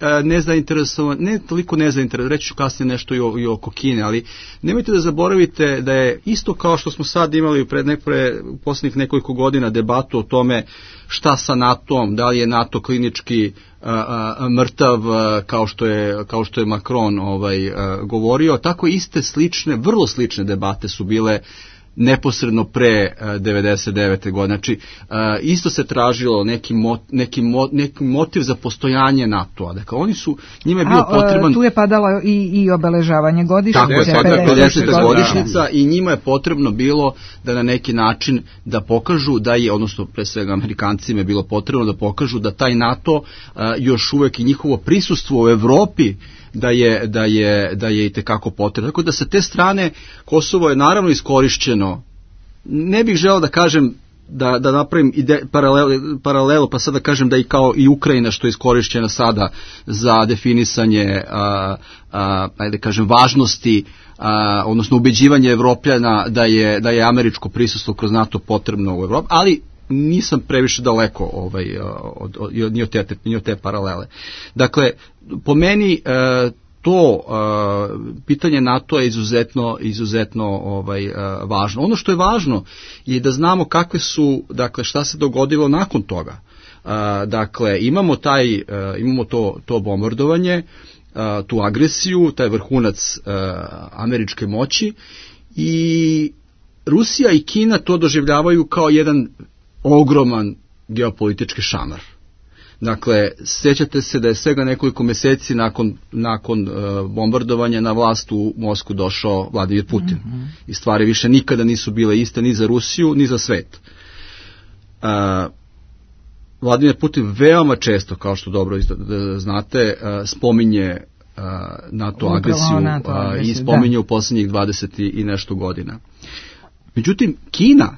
ne toliko nezainteresovan, reći ću kasnije nešto i oko Kine, ali nemojte da zaboravite da je isto kao što smo sad imali u posljednjih nekoliko godina debatu o tome šta sa NATO-om, da li je NATO klinički mrtav kao što je Macron govorio, tako iste slične, vrlo slične debate su bile neposredno pre 99. godine. Znači, isto se tražilo neki motiv za postojanje NATO-a. Dakle, njima je bio potreban... Tu je padalo i obeležavanje godišnjice. Tako je, 50. godišnjica i njima je potrebno bilo da na neki način da pokažu da je, odnosno pre svega Amerikancima je bilo potrebno da pokažu da taj NATO još uvek i njihovo prisustvo u Evropi da je itekako potrebno. Tako da sa te strane Kosovo je naravno iskorišćeno. Ne bih želeo da kažem da napravim paralelu pa sad da kažem da i kao i Ukrajina što je iskorišćena sada za definisanje ajde kažem važnosti odnosno ubeđivanje Evropljana da je američko prisustvo kroz NATO potrebno u Evropi, ali nisam previše daleko ni od te paralele. Dakle, po meni to pitanje NATO je izuzetno važno. Ono što je važno je da znamo kakve su, dakle, šta se dogodilo nakon toga. Dakle, imamo to bombardovanje, tu agresiju, taj vrhunac američke moći i Rusija i Kina to doživljavaju kao jedan ogroman geopolitički šamar. Dakle, sjećate se da je svega nekoliko mjeseci nakon bombardovanja na vlast u Moskvu došao Vladimir Putin. I stvari više nikada nisu bile iste ni za Rusiju, ni za svet. Vladimir Putin veoma često, kao što dobro znate, spominje NATO agresiju i spominje u posljednjih 20 i nešto godina. Međutim, Kina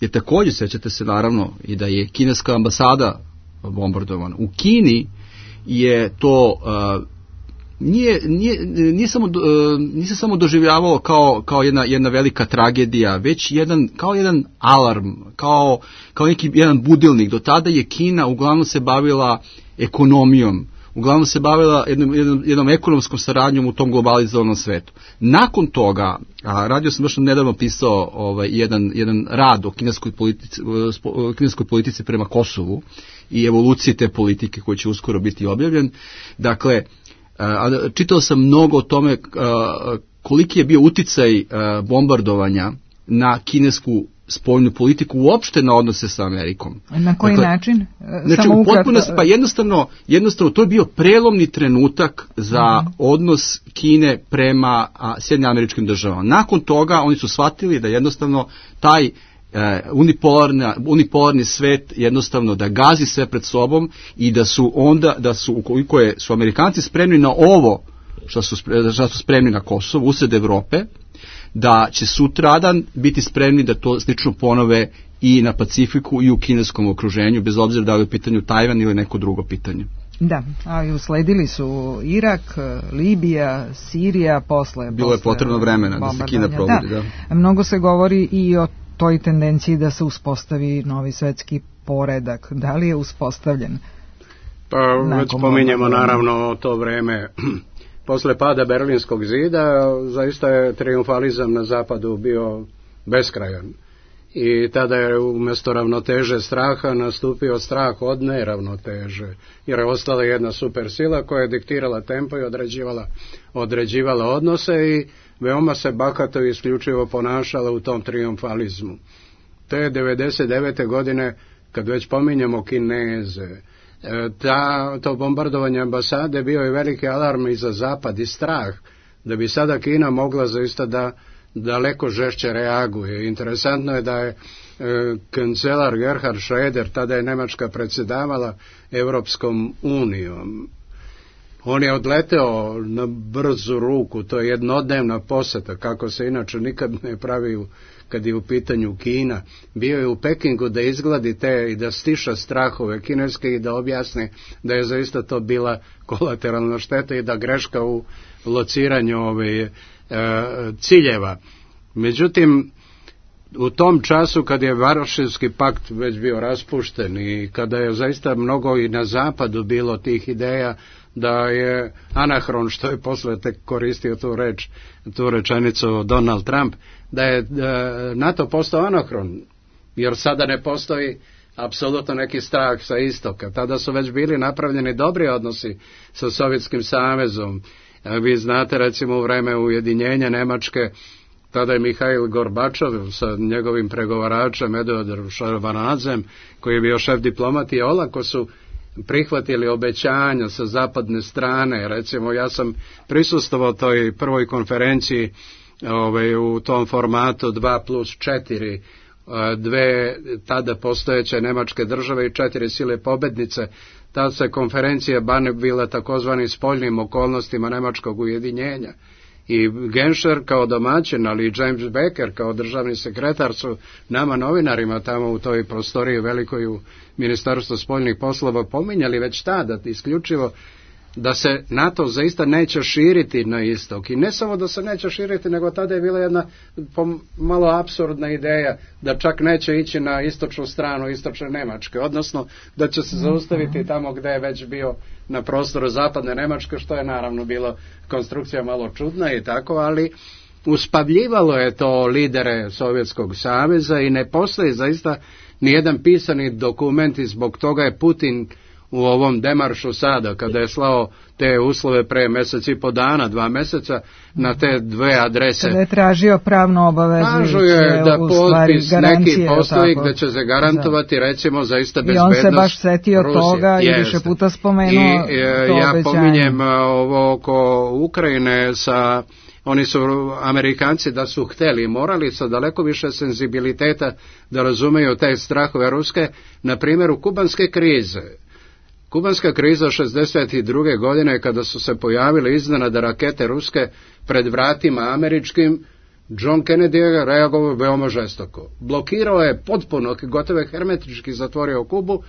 je također, sjećate se naravno, i da je kineska ambasada bombardovana. U Kini je to nije samo doživljavalo kao jedna velika tragedija, već kao jedan alarm, kao neki jedan budilnik. Do tada je Kina uglavnom se bavila ekonomijom, uglavnom se bavila jednom ekonomskom saradnjom u tom globalizovanom svetu. Nakon toga, radio sam baš nedavno pisao jedan rad o kineskoj politici prema Kosovu i evoluciji te politike koji će uskoro biti objavljen. Dakle, čitao sam mnogo o tome koliki je bio uticaj bombardovanja na kinesku spoljnu politiku, uopšte na odnose sa Amerikom. Na koji način? Znači, u potpunosti, pa jednostavno to je bio prelomni trenutak za odnos Kine prema Sjedinjenim Američkim Državama. Nakon toga oni su shvatili da jednostavno taj unipolarni svet jednostavno da gazi sve pred sobom i da su ukoliko su Amerikanci spremni na ovo što su spremni na Kosovo usred Evrope, da će sutradan biti spremni da to slično ponove i na Pacifiku i u kineskom okruženju, bez obzira da li je u pitanju Tajvan ili neko drugo pitanje. Da, ali usledili su Irak, Libija, Sirija, Bilo je potrebno vremena da se Kina probudi. Da. Mnogo se govori i o toj tendenciji da se uspostavi novi svetski poredak. Da li je uspostavljen? Pa već pominjemo naravno to vreme. Posle pada Berlinskog zida zaista je triumfalizam na zapadu bio beskrajan. I tada je umjesto ravnoteže straha nastupio strah od neravnoteže. Jer je ostala jedna super sila koja je diktirala tempo i određivala odnose i veoma se bahato i isključivo ponašala u tom triumfalizmu. To je 99. godine, kad već pominjemo Kineze, to bombardovanje ambasade bio je veliki alarm i za zapad i strah da bi sada Kina mogla zaista da daleko žešće reaguje. Interesantno je da je kancelar Gerhard Schröder, tada je Nemačka predsjedavala Evropskom unijom. On je odleteo na brzu ruku, to je jednodnevna poseta, kako se inače nikad ne pravi kad je u pitanju Kina. Bio je u Pekingu da izgladi te i da stiša strahove kineske i da objasni da je zaista to bila kolateralna šteta i da greška u lociranju ciljeva. Međutim, u tom času kad je Varšavski pakt već bio raspušten i kada je zaista mnogo i na zapadu bilo tih ideja da je anahron, što je posle tek koristio tu rečenicu Donald Trump, da je NATO postao anahron, jer sada ne postoji apsolutno neki strah sa istoka. Tada su već bili napravljeni dobri odnosi sa Sovjetskim savezom. Vi znate, recimo, u vreme ujedinjenja Nemačke, tada je Mihail Gorbačov sa njegovim pregovaračem Eduardom Šarvanadzem, koji je bio šef diplomati, i olako su prihvatili obećanja sa zapadne strane. Recimo, ja sam prisustvovao toj prvoj konferenciji u tom formatu 2+4, dve tada postojeće nemačke države i 4 sile pobednice. Ta se konferencija bila takozvani spoljnim okolnostima nemačkog ujedinjenja. I Genscher kao domaćin, ali i James Baker kao državni sekretar su nama novinarima tamo u toj prostoriji velikoj u Ministarstvu spoljnih poslova pominjali već tada isključivo da se NATO zaista neće širiti na istok. I ne samo da se neće širiti, nego tada je bila jedna malo apsurdna ideja da čak neće ići na istočnu stranu istočne Nemačke, odnosno da će se zaustaviti tamo gdje je već bio na prostoru zapadne Nemačke, što je naravno bilo konstrukcija malo čudna i tako, ali uspavljivalo je to lidere Sovjetskog saveza i ne postoji zaista nijedan pisani dokument i zbog toga je Putin u ovom demaršu sada, kada je slao te uslove pre mjesec i po dana, 2 mjeseca, na te dve adrese. Kada je tražio pravno obavezujuće, kažu je da potpis neki postoji gde će se garantovati, recimo, zaista bezbednost Rusije. I on se baš setio toga i više puta spomenuo to ja obećanje. Pominjem ovo oko Ukrajine oni su Amerikanci da su hteli, morali sa daleko više senzibiliteta da razumeju te strahove ruske, na primjeru kubanske krize. Kubanska kriza 1962. godine, kada su se pojavile iznenada rakete ruske pred vratima američkim, John Kennedy je reagovao veoma žestoko. Blokirao je potpuno, gotovo hermetički zatvorio Kubu,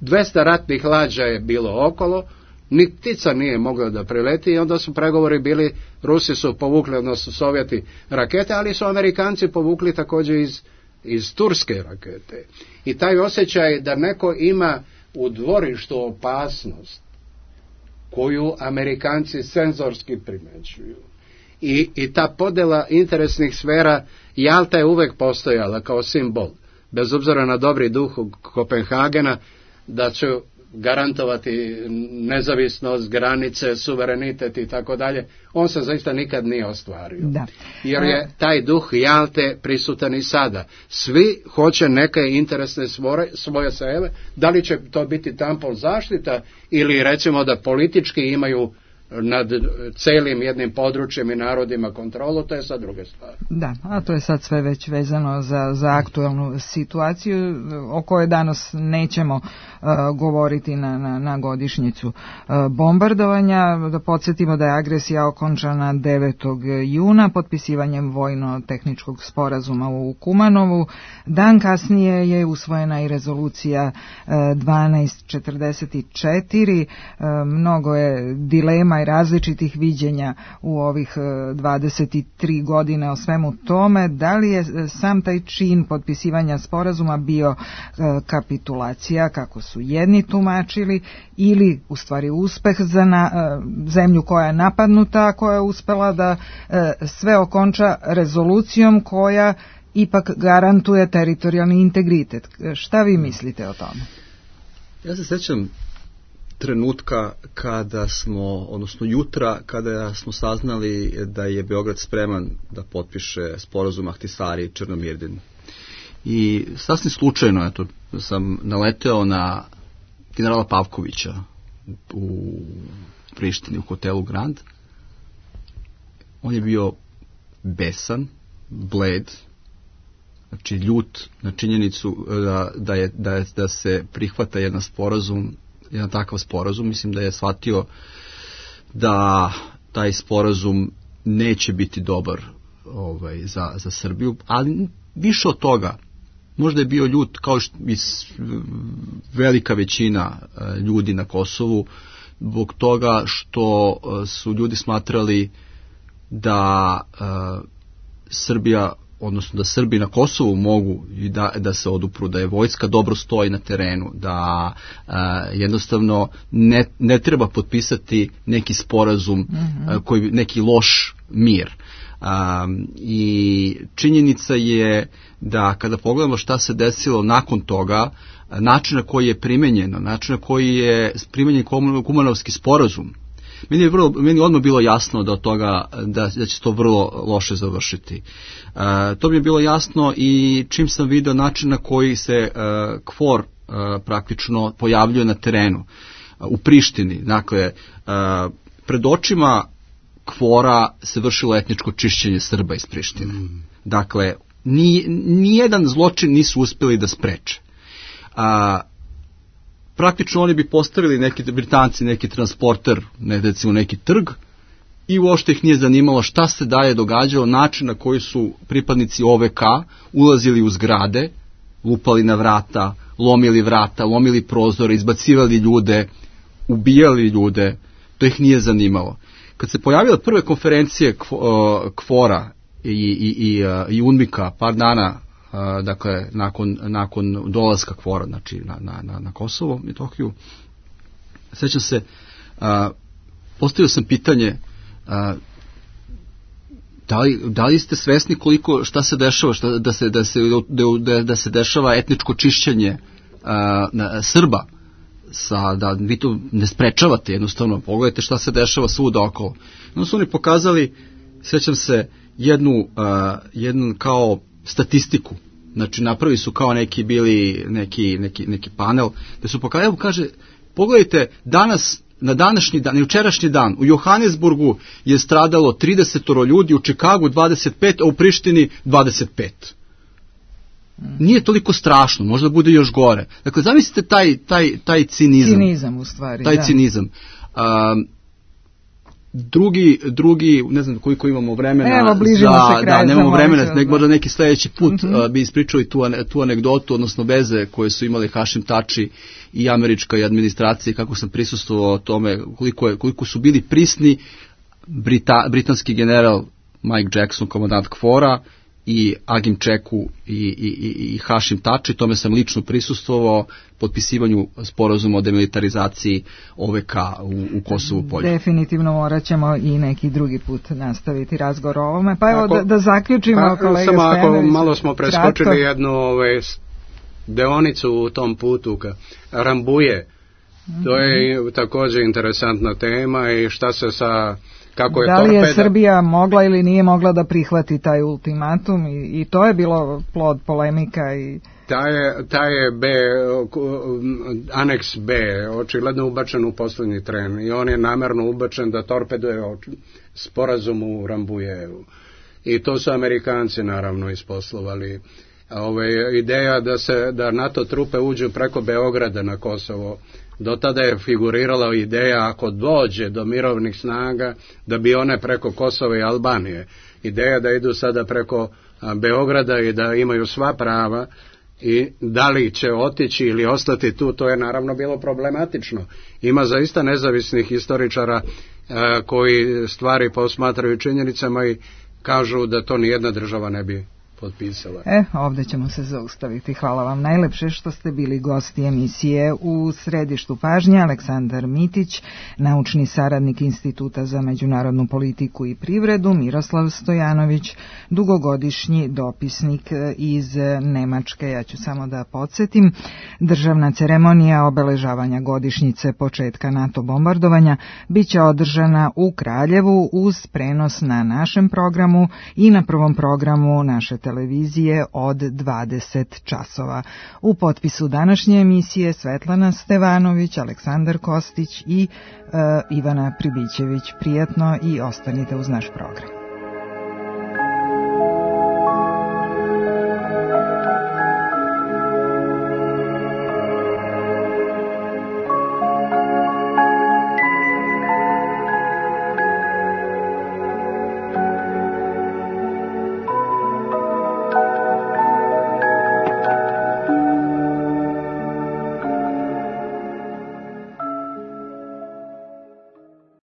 200 ratnih lađa je bilo okolo, ni ptica nije mogla da prileti i onda su pregovori bili, Rusi su povukli, odnosno Sovjeti, rakete, ali su Amerikanci povukli također iz turske rakete. I taj osjećaj da neko ima u dvorištu opasnost koju Amerikanci senzorski primećuju. I ta podela interesnih sfera, Jalta je uvek postojala kao simbol, bez obzira na dobri duh Kopenhagena, da će garantovati nezavisnost, granice, suverenitet i tako dalje. On se zaista nikad nije ostvario. Da. Jer je taj duh Jalte prisutan i sada. Svi hoće neke interesne svoje sebe, da li će to biti tampon zaštita ili recimo da politički imaju nad celim jednim područjem i narodima kontrolu, to je sad druge stvari. Da, a to je sad sve već vezano za aktualnu situaciju o kojoj danas nećemo govoriti na godišnjicu bombardovanja. Da podsjetimo da je agresija okončana 9. juna potpisivanjem vojno-tehničkog sporazuma u Kumanovu. Dan kasnije je usvojena i rezolucija 1244. Mnogo je dilema i različitih viđenja u ovih 23 godine o svemu tome. Da li je sam taj čin potpisivanja sporazuma bio kapitulacija, kako su jedni tumačili, ili u stvari uspeh za zemlju koja je napadnuta, koja je uspela da sve okonča rezolucijom koja ipak garantuje teritorijalni integritet. Šta vi mislite o tome? Ja se sjećam trenutka kada smo, odnosno jutra, kada smo saznali da je Beograd spreman da potpiše sporazum Ahtisari i Černomirdin. I sasvim slučajno sam naleteo na generala Pavkovića u Prištini, u hotelu Grand. On je bio besan, bled, znači ljut na činjenicu da se prihvata jedan takav sporazum. Mislim da je shvatio da taj sporazum neće biti dobar za Srbiju, ali više od toga, možda je bio ljut kao što i velika većina ljudi na Kosovu, zbog toga što su ljudi smatrali da Srbija, odnosno da Srbi na Kosovu mogu i da se odupru, da je vojska dobro stoji na terenu, da jednostavno ne treba potpisati neki sporazum, neki loš mir. I činjenica je da kada pogledamo šta se desilo nakon toga, način na koji je primenjeno, način na koji je primenjen Kumanovski sporazum, meni odmah bilo jasno da od toga da će to vrlo loše završiti. To mi je bilo jasno i čim sam video način na koji se KFOR praktično pojavljuje na terenu u Prištini. Dakle, pred očima KFOR-a se vršilo etničko čišćenje Srba iz Prištine. Dakle, nijedan zločin nisu uspjeli da spreče. Praktično oni bi postavili neki Britanci, neki transporter, recimo neki trg, i uopšte ih nije zanimalo šta se dalje događalo, način na koji su pripadnici OVK ulazili u zgrade, lupali na vrata, lomili prozore, izbacivali ljude, ubijali ljude, to ih nije zanimalo. Kad se pojavile prve konferencije KFOR-a i UNMIK-a par dana, dakle nakon dolaska KFOR-a, znači na Kosovo, Metohiju, sećam se, postavio sam pitanje da li ste svesni koliko šta se dešava, da se dešava etničko čišćenje Srba, da vi to ne sprečavate, jednostavno pogledajte šta se dešava svuda okolo. No su oni pokazali, sećam se, jednu kao statistiku, znači napravili su kao neki panel, gde su pokazali, evo kaže, pogledajte danas, na današnji dan, jučerašnji dan, u Johannesburgu je stradalo 30 ljudi, u Čikagu 25, a u Prištini 25. Nije toliko strašno, možda bude još gore. Dakle, zamislite taj cinizam. Cinizam u stvari, taj cinizam. Drugi, ne znam koliko imamo vremena. Evo, bližimo se kraju. Nemamo vremena, možda neki sljedeći put bi ispričali tu anegdotu, odnosno veze koje su imali Hašim Tači i američka administracija, kako sam prisustvovao tome, koliko su bili prisni britanski general Mike Jackson, komandant KFOR-a, i Agim Čeku i Hašim Tači, tome sam lično prisustvovao, potpisivanju sporazuma o demilitarizaciji OVK u Kosovu polju. Definitivno morat ćemo i neki drugi put nastaviti razgovor o ovome. Pa evo da zaključimo, kolega Stojanović. Malo smo preskočili jednu deonicu u tom putu Rambuje. To je također interesantna tema i šta se sa... Da li je Srbija mogla ili nije mogla da prihvati taj ultimatum i to je bilo plod polemika i... Taj je aneks B očigledno ubačen u posljednji tren i on je namjerno ubačen da torpeduje sporazum u Rambujevu. I to su Amerikanci naravno isposlovali. Ideja da NATO trupe uđu preko Beograda na Kosovo, do tada je figurirala ideja ako dođe do mirovnih snaga da bi one preko Kosova i Albanije. Ideja da idu sada preko Beograda i da imaju sva prava i da li će otići ili ostati tu, to je naravno bilo problematično. Ima zaista nezavisnih historičara koji stvari posmatraju činjenicama i kažu da to nijedna država ne bi potpisala. Ovdje ćemo se zaustaviti. Hvala vam najlepše što ste bili gosti emisije U središtu pažnje. Aleksandar Mitić, naučni saradnik Instituta za međunarodnu politiku i privredu, Miroslav Stojanović, dugogodišnji dopisnik iz Nemačke. Ja ću samo da podsjetim, državna ceremonija obeležavanja godišnjice početka NATO bombardovanja biće održana u Kraljevu uz prenos na našem programu i na prvom programu naše televizije od 20 časova. U potpisu današnje emisije Svetlana Stevanović, Aleksandar Kostić i Ivana Pribićević. Prijatno i ostanite uz naš program.